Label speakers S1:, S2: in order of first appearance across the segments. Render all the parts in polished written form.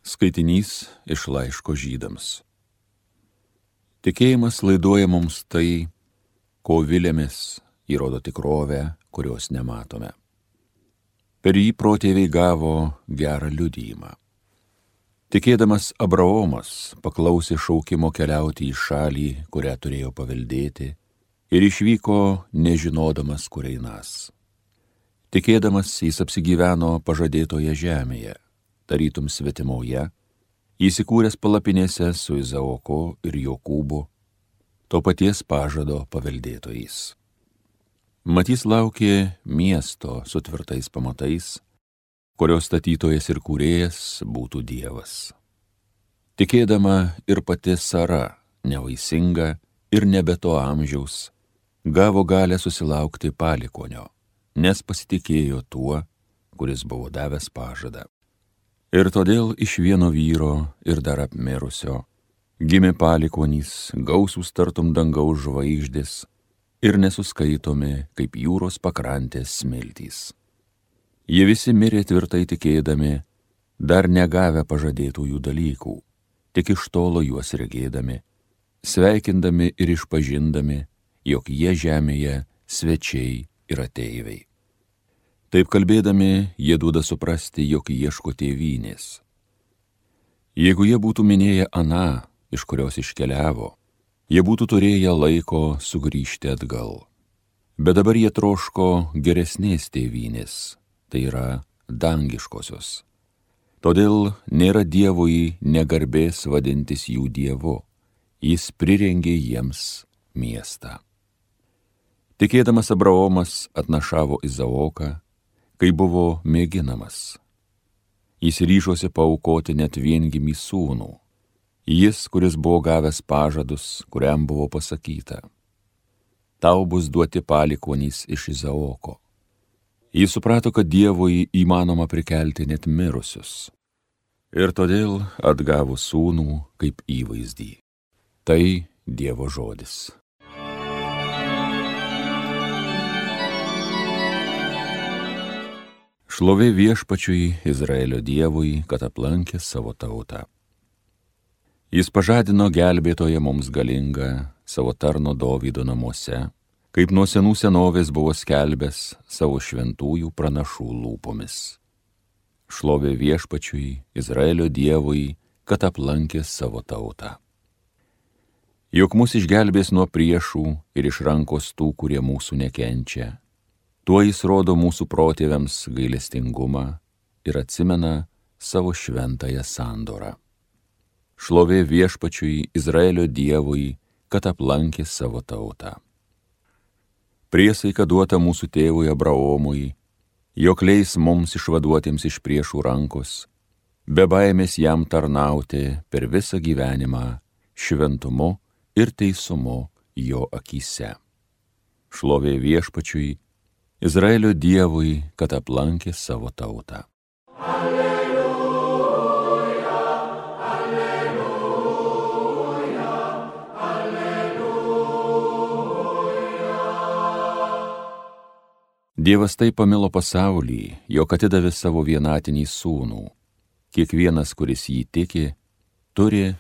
S1: Skaitinys iš laiško Žydams. Tikėjimas laiduoja mums tai, ko vilėmis, įrodo tikrovę, kurios nematome. Per jį protėviai gavo gerą liudijimą. Tikėdamas Abraomas paklausė šaukimo keliauti į šalį, kurią turėjo paveldėti, ir išvyko nežinodamas, kur einas. Tikėdamas jis apsigyveno pažadėtoje žemėje, tarytum svetimoje, įsikūręs palapinėse su Izaoku ir Jokūbu, to paties pažado paveldėtojais. Matys laukė miesto su tvirtais pamatais, kurio statytojas ir kūrėjas būtų Dievas. Tikėdama ir pati Sara, nevaisinga ir nebe to amžiaus, gavo galę susilaukti palikonio, nes pasitikėjo tuo, kuris buvo davęs pažadą. Ir todėl iš vieno vyro ir dar apmirusio gimė palikonys, gausūs tartum dangaus žvaigždės ir nesuskaitomi kaip jūros pakrantės smiltys. Jie visi mirė tvirtai tikėdami, dar negavę pažadėtųjų dalykų, tik iš tolo juos regėdami, sveikindami ir išpažindami, jog jie žemėje svečiai ir ateiviai. Taip kalbėdami, jie duoda suprasti, jog ieško tėvynės. Jeigu jie būtų minėję aną, iš kurios iškeliavo, jie būtų turėję laiko sugrįžti atgal. Bet dabar jie troško geresnės tėvynės, tai yra dangiškosios. Todėl nėra Dievui negarbės vadintis jų Dievu, jis prirengė jiems miestą. Tikėdamas Abraomas atnašavo Izaoką, kai buvo mėginamas. Jis ryžosi paaukoti net viengimį sūnų, jis, kuris buvo gavęs pažadus, kuriam buvo pasakyta: tau bus duoti palikonys iš Izaoko. Jis suprato, kad Dievui įmanoma prikelti net mirusius, ir todėl atgavo sūnų kaip įvaizdį. Tai Dievo žodis. Šlovė Viešpačiui Izraelio Dievui, kad aplankė savo tautą. Jis pažadino gelbėtoją mums galingą savo tarno Dovydo namuose, kaip nuo senų senovės buvo skelbęs savo šventųjų pranašų lūpomis. Šlovė Viešpačiui Izraelio Dievui, kad aplankė savo tautą. Juk mus išgelbės nuo priešų ir iš rankos tų, kurie mūsų nekenčia. Tuo jis rodo mūsų protėviams gailestingumą ir atsimena savo šventąją sandorą. Šlovė Viešpačiui Izraelio Dievui, kad aplankė savo tautą. Priesaika duota mūsų tėvui Abraomui, jog leis mums išvaduotiems iš priešų rankos, be baimės jam tarnauti per visą gyvenimą šventumu ir teisumu jo akyse. Šlovė Viešpačiui Izraelio Dievui, kad aplankė savo tautą.
S2: Alleluja, alleluja, alleluja.
S1: Dievas taip pamilo pasaulį, jog atidavė savo vienatinį sūnų. Kiekvienas, kuris jį tiki, turi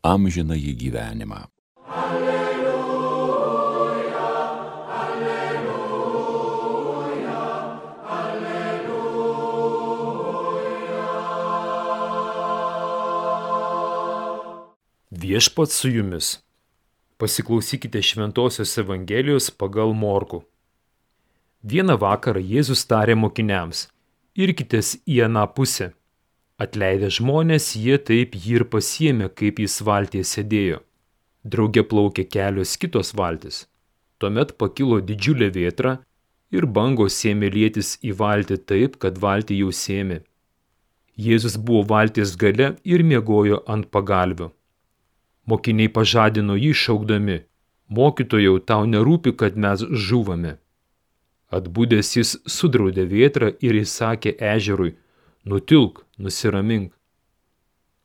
S1: amžinąjį gyvenimą.
S3: Viešpats su jumis. Pasiklausykite Šventosios Evangelijos pagal Morkų. Vieną vakarą Jėzus tarė mokiniams: irkitės į aną pusę. Atleidę žmonės, jie taip jį ir pasiėmė, kaip jis valtyje sėdėjo. Drauge plaukė kelios kitos valtys. Tuomet pakilo didžiulė vėtra ir bangos ėmė lietis į valtį taip, kad valtį jau sėmė. Jėzus buvo valties gale ir miegojo ant pagalvio. Mokiniai pažadino jį šaukdami: mokytojau, tau nerūpi, kad mes žūvame. Atbudęs jis sudraudė vėtrą ir įsakė ežerui: nutilk, nusiramink.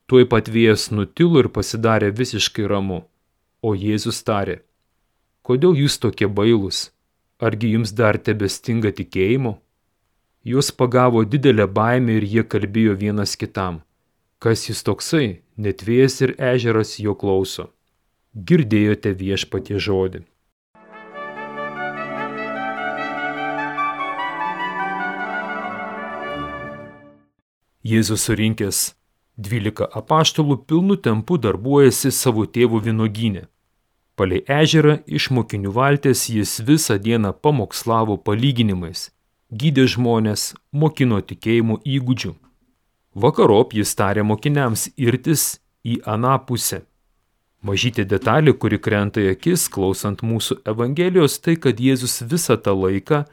S3: Tuoj pat vėjas nutilo ir pasidarė visiškai ramu. O Jėzus tarė: kodėl jūs tokie bailūs? Argi jums dar tebestinga tikėjimo? Juos pagavo didelė baimė ir jie kalbėjo vienas kitam: Kas jis toksai, net vėjas ir ežeras jo klauso. Girdėjote Viešpaties žodį. Jėzus surinkęs 12 apaštalų pilnu tempu darbuojasi savo tėvo vynuogyne. Palei ežerą iš mokinių valties jis visą dieną pamokslavo palyginimais, gydė žmones, mokino tikėjimo įgūdžių. Vakarop jis tarė mokiniams irtis į aną pusę. Mažytė detalė, kuri krenta į akis, klausant mūsų Evangelijos, tai kad Jėzus visą tą laiką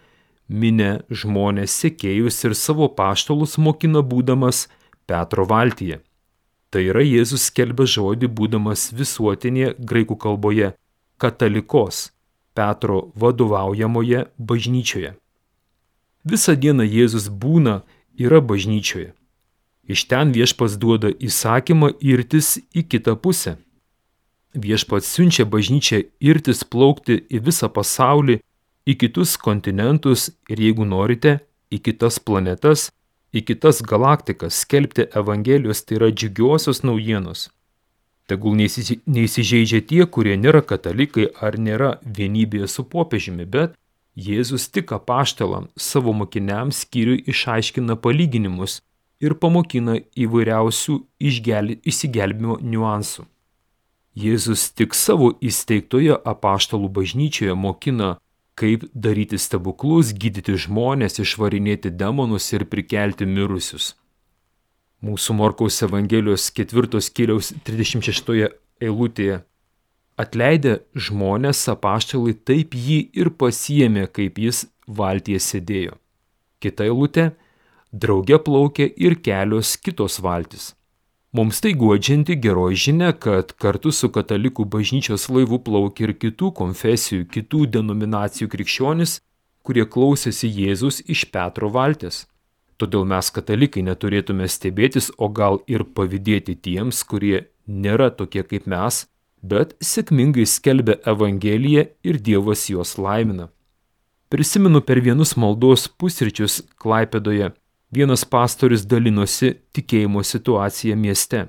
S3: minė žmonės sekėjus ir savo apaštalus mokina būdamas Petro valtyje. Tai yra Jėzus skelbia žodį būdamas visuotinėje graikų kalboje katalikos, Petro vadovaujamoje bažnyčioje. Visą dieną Jėzus yra bažnyčioje. Iš ten Viešpats duoda įsakymą irtis į kitą pusę. Viešpats siunčia bažnyčią irtis plaukti į visą pasaulį, į kitus kontinentus ir, jeigu norite, į kitas planetas, į kitas galaktikas, skelbti Evangelijos, tai yra džiugiosios naujienos. Tegul neįsižeidžia tie, kurie nėra katalikai ar nėra vienybėje su popiežiumi, bet Jėzus tik apaštalam savo mokiniams skyriui išaiškina palyginimus ir pamokina įvairiausių išsigelbimo niuansų. Jėzus tik savo įsteigtoje apaštalų bažnyčioje mokina, kaip daryti stebuklus, gydyti žmones, išvarinėti demonus ir prikelti mirusius. Mūsų Morkaus Evangelijos 4 skyriaus 36 eilutėje: atleidę žmonės apaštalai taip jį ir pasiėmė, kaip jis valtyje sėdėjo. Kita eilutė: drauge plaukė ir kelios kitos valtys. Mums tai guodžianti geroji žinia, kad kartu su katalikų bažnyčios laivu plaukė ir kitų konfesijų, kitų denominacijų krikščionys, kurie klausėsi Jėzus iš Petro valties. Todėl mes katalikai neturėtume stebėtis, o gal ir pavydėti tiems, kurie nėra tokie kaip mes, bet sėkmingai skelbia Evangeliją ir Dievas juos laimina. Prisimenu per vienus maldos pusryčius Klaipėdoje. Vienas pastorius dalinosi tikėjimo situaciją mieste.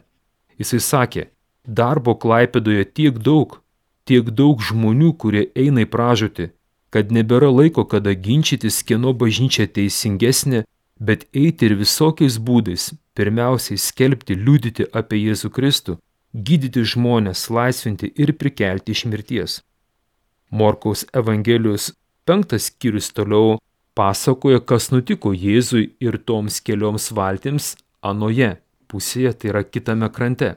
S3: Jisai sakė: darbo Klaipėdoje tiek daug žmonių, kurie eina į pražūtį, kad nebėra laiko, kada ginčytis, kieno bažnyčia teisingesnė, bet eiti ir visokiais būdais, pirmiausiai skelbti, liudyti apie Jėzų Kristų, gydyti žmones, laisvinti ir prikelti iš mirties. Morkaus Evangelijos 5 skyrius toliau pasakoja, kas nutiko Jėzui ir toms kelioms valtims anoje pusėje, tai yra kitame krante.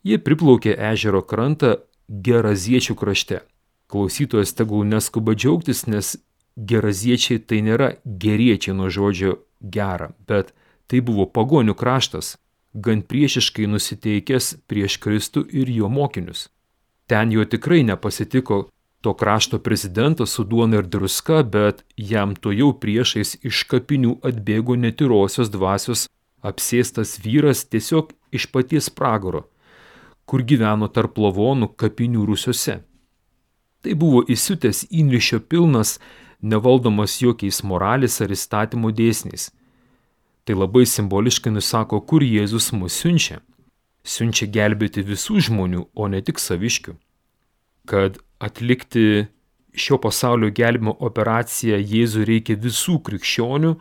S3: Jie priplaukė ežero krantą Geraziečių krašte. Klausytojas tegul neskuba džiaugtis, nes geraziečiai tai nėra geriečiai nuo žodžio gera, bet tai buvo pagonių kraštas, gan priešiškai nusiteikęs prieš Kristų ir jo mokinius. Ten jo tikrai nepasitiko to krašto prezidentas su duona ir druska, bet jam tojau priešais iš kapinių atbėgo netyrosios dvasios apsėstas vyras tiesiog iš paties pragaro, kur gyveno tarp lavonų kapinių rūsiuose. Tai buvo įsiutęs įniršio pilnas, nevaldomas jokiais moralės ar įstatymo dėsniais. Tai labai simboliškai nusako, kur Jėzus mus siunčia. Siunčia gelbėti visų žmonių, o ne tik saviškių. Kad atlikti šio pasaulio gelbimo operaciją Jėzui reikia visų krikščionių,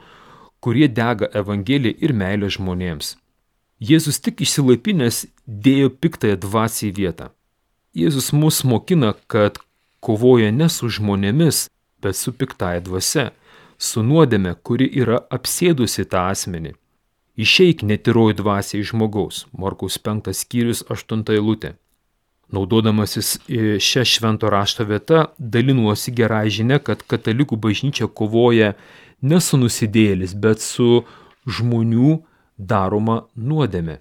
S3: kurie dega Evangeliją ir meilę žmonėms. Jėzus tik išsilaipinęs dėjo piktąją dvasią į vietą. Jėzus mus mokina, kad kovoja ne su žmonėmis, bet su piktąja dvasia, su nuodėme, kuri yra apsėdusi tą asmenį. Išeik netyroji dvasia iš žmogaus. Morkaus 5 skyrius 8 eilutė. Naudodamasis šią švento rašto vietą, dalinuosi gerąją žinią, kad katalikų bažnyčia kovoja ne su nusidėjėlis, bet su žmonių daroma nuodėme.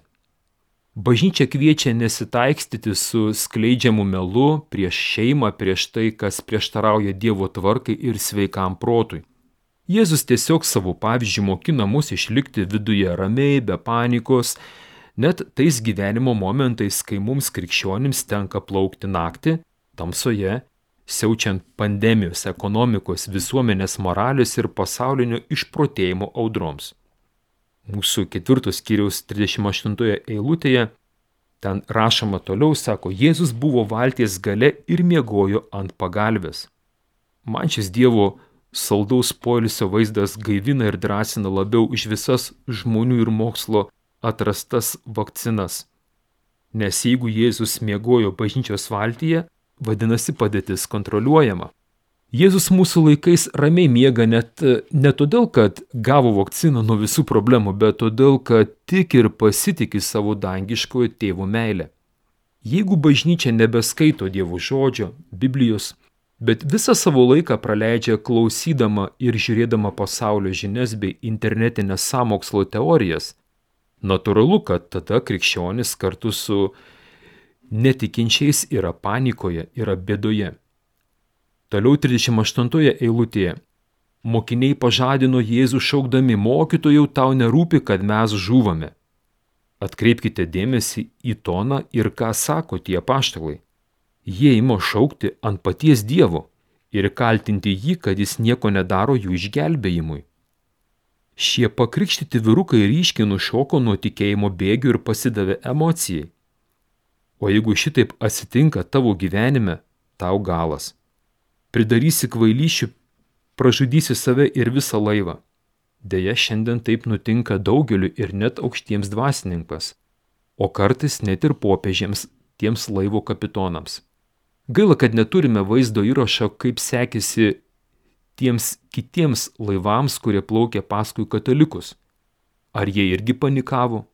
S3: Bažnyčia kviečia nesitaikstyti su skleidžiamu melu prieš šeimą, prieš tai, kas prieštarauja Dievo tvarkai ir sveikam protui. Jėzus tiesiog savo pavyzdžių mokina mus išlikti viduje ramiai, be panikos, net tais gyvenimo momentais, kai mums krikščionims tenka plaukti naktį, tamsoje, siaučiant pandemijos, ekonomikos, visuomenės moralės ir pasaulinio išprotėjimo audroms. mūsų 4 skyriaus 38 eilutėje. Ten rašoma toliau, sako, Jėzus buvo valties gale ir miegojo ant pagalvės. Man šis Dievo saldaus poilsio vaizdas gaivina ir drąsina labiau už visas žmonių ir mokslo atrastas vakcinas. Nes jeigu Jėzus miegojo bažnyčios valtyje, vadinasi padėtis kontroliuojama. Jėzus mūsų laikais ramiai miega net ne todėl, kad gavo vakciną nuo visų problemų, bet todėl, kad tik ir pasitiki savo dangiškojo tėvo meilę. Jeigu bažnyčia nebeskaito Dievo žodžio, Biblijos, bet visą savo laiką praleidžia klausydama ir žiūrėdama pasaulio žinias bei internetinės sąmokslo teorijas, natūralu, kad tada krikščionis kartu su netikinčiais yra panikoje, yra bėdoje. Toliau 38 eilutėje. Mokiniai pažadino Jėzų šaukdami, mokytojau, tau nerūpi, kad mes žūvame. Atkreipkite dėmesį į toną ir ką sako tie apaštalai. Jie ima šaukti ant paties Dievo ir kaltinti jį, kad jis nieko nedaro jų išgelbėjimui. Šie pakrikštyti vyrukai ryškiai nušoko nuo tikėjimo bėgių ir pasidavė emocijai. O jeigu šitaip atsitinka tavo gyvenime, tau galas. Pridarysi kvailyšių, pražudysi save ir visą laivą. Deja, šiandien taip nutinka daugeliu ir net aukštiems dvasininkams, o kartais net ir popiežiams, tiems laivo kapitonams. Gaila, kad neturime vaizdo įrašo, kaip sekėsi tiems kitiems laivams, kurie plaukė paskui katalikus. Ar jie irgi panikavo?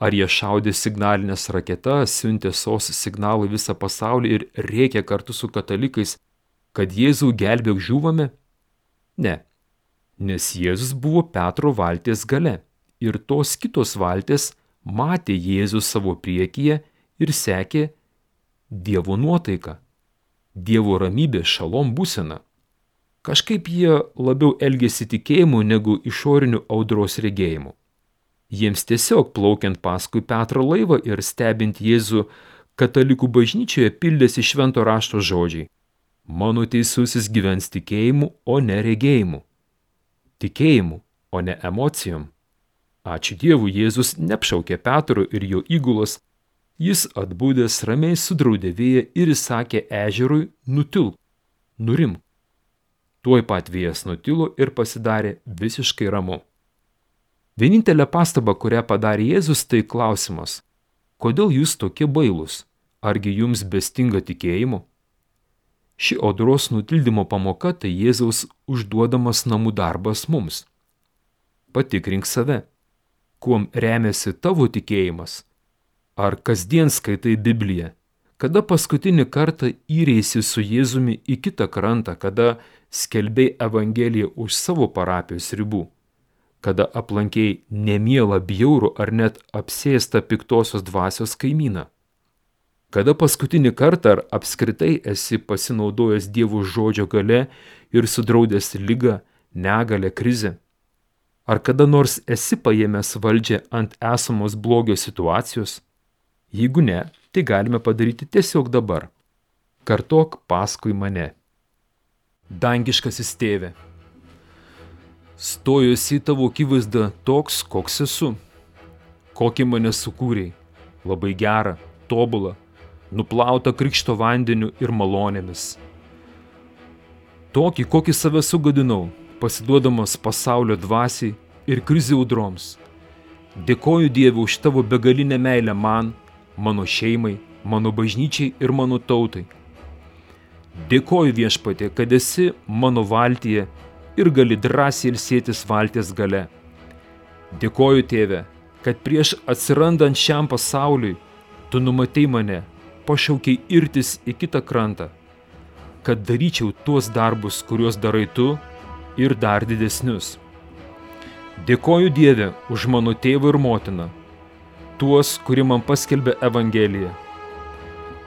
S3: Ar jie šaudė signalinės raketas, siuntė SOS signalą visą pasaulį ir rėkė kartu su katalikais, kad Jėzų gelbėk žūvame? Ne, nes Jėzus buvo Petro valties gale ir tos kitos valties matė Jėzų savo priekyje ir sekė Dievo nuotaiką, Dievo ramybė, šalom būsena. Kažkaip jie labiau elgėsi tikėjimu negu išoriniu audros regėjimu. Jiems tiesiog plaukiant paskui Petro laivą ir stebint Jėzų katalikų bažnyčioje pildėsi švento rašto žodžiai. Mano teisusis gyvens tikėjimu, o ne regėjimu. Tikėjimu, o ne emocijom. Ačiū Dievui, Jėzus neapšaukė Petro ir jo įgulos. Jis atbūdęs ramiai sudraudė vėją ir įsakė ežerui nutilk, nurimk. Tuoj pat vėjas nutilo ir pasidarė visiškai ramu. Vienintelė pastaba, kurią padarė Jėzus, tai klausimas. Kodėl jūs tokie bailūs? Argi jums bestinga tikėjimu? Ši audros nutildymo pamoka tai Jėzaus užduodamas namų darbas mums. Patikrink save. Kuom remiasi tavo tikėjimas? Ar kasdien skaitai Bibliją? Kada paskutinį kartą įreisi su Jėzumi į kitą krantą, kada skelbei Evangeliją už savo parapijos ribų? Kada aplankėjai nemielą, bjaurų ar net apsėstą piktosios dvasios kaimyną? Kada paskutinį kartą ar apskritai esi pasinaudojęs Dievo žodžio gale ir sudraudęs ligą, negalę, krizę? Ar kada nors esi paėmęs valdžią ant esamos blogio situacijos? Jeigu ne, tai galime padaryti tiesiog dabar. Kartok paskui mane. Dangiškasis Tėve, stojuosi į tavo akivaizdą toks, koks esu. Kokį mane sukūrei, labai gerą, tobulą, nuplautą krikšto vandeniu ir malonėmis. Tokį, kokį save sugadinau, pasiduodamas pasaulio dvasiai ir krizių audroms. Dėkoju Dieve už tavo begalinę meilę man, mano šeimai, mano bažnyčiai ir mano tautai. Dėkoju Viešpatie, kad esi mano valtyje ir gali drąsiai ilsėtis valties gale. Dėkoju Tėve, kad prieš atsirandant šiam pasauliui tu numatei mane, pašaukiai irtis į kitą krantą, kad daryčiau tuos darbus, kuriuos darai tu ir dar didesnius. Dėkoju Dieve už mano tėvą ir motiną, tuos, kurie man paskelbė Evangeliją.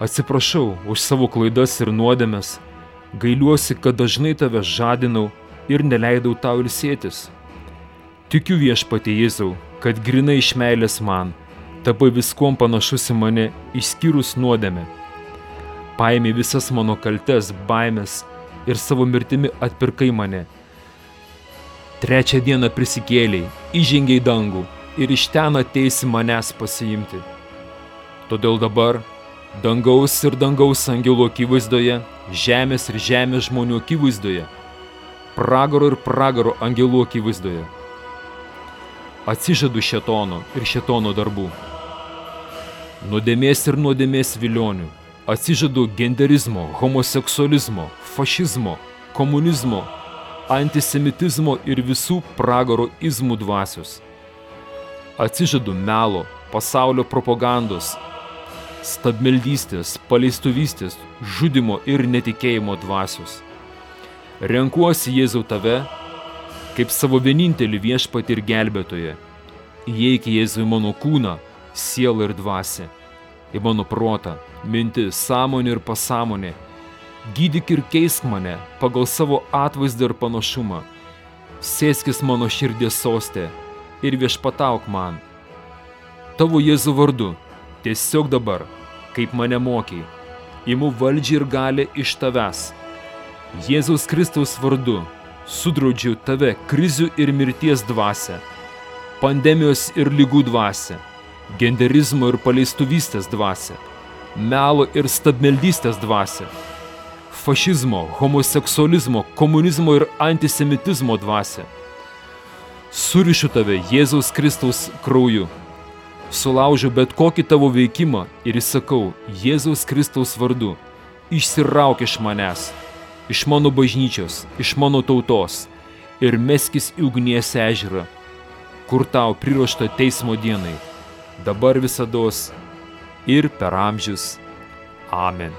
S3: Atsiprašau už savo klaidas ir nuodėmes, gailiuosi, kad dažnai tave žadinau ir neleidau tau ilsėtis. Tikiu Viešpatie Jėzau, kad grynai iš meilės man, tapai viskuom panašus į mane, išskyrus nuodėmę. Paėmė visas mano kaltes, baimės ir savo mirtimi atpirkai mane. Trečią dieną prisikėlei, įžengei į dangų ir iš ten ateisi manęs pasiimti. Todėl dabar dangaus ir dangaus angelų akivaizdoje, žemės ir žemės žmonių akivaizdoje, pragaro ir pragaro angelų akivaizdoje atsižadu šėtono ir šėtono darbų, nuodėmės ir nuodėmės vilionių, atsižadu genderizmo, homoseksualizmo, fašizmo, komunizmo, antisemitizmo ir visų pragaro izmų dvasios. Atsižadu melo, pasaulio propagandos, stabmeldystės, paleistuvystės, žudimo ir netikėjimo dvasios. Renkuosi, Jėzau, tave, kaip savo vienintelį viešpatį ir gelbėtoją. Įeik, Jėzau, į mano kūną, sielą ir dvasią, į mano protą, mintis, sąmonę ir pasąmonę. Gydyk ir keisk mane pagal savo atvaizdą ir panašumą. Sėskis mano širdies sostė ir viešpatauk man. Tavo, Jėzau, vardu, tiesiog dabar, kaip mane mokei, imu valdžią ir galią iš tavęs. Jėzaus Kristaus vardu sudraudžiu tave krizių ir mirties dvasią, pandemijos ir lygų dvasią, genderizmo ir paleistuvystės dvasią, melo ir stabmeldystės dvasią, fašizmo, homoseksualizmo, komunizmo ir antisemitizmo dvasią. Surišu tave Jėzaus Kristaus krauju. Sulaužiu bet kokį tavo veikimą ir įsakau Jėzaus Kristaus vardu, išsirauk iš manęs, iš mano bažnyčios, iš mano tautos ir meskis į ugnies ežerą, kur tau priruošta teismo dienai, dabar visados ir per amžius. Amen.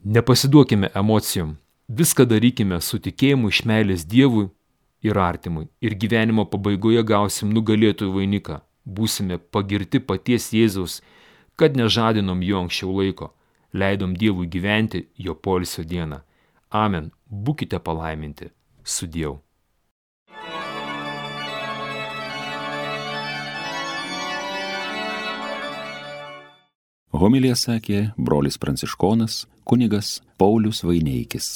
S3: Nepasiduokime emocijom, viską darykime su tikėjimu iš meilės Dievui ir artimui, ir gyvenimo pabaigoje gausim nugalėtojų vainiką, būsime pagirti paties Jėzaus, kad nežadinom jo anksčiau laiko, leidom Dievui gyventi jo poilsio dieną. Amen. Būkite palaiminti. Sudieu.
S1: Homiliją sakė brolis pranciškonas kunigas Paulius Vaineikis.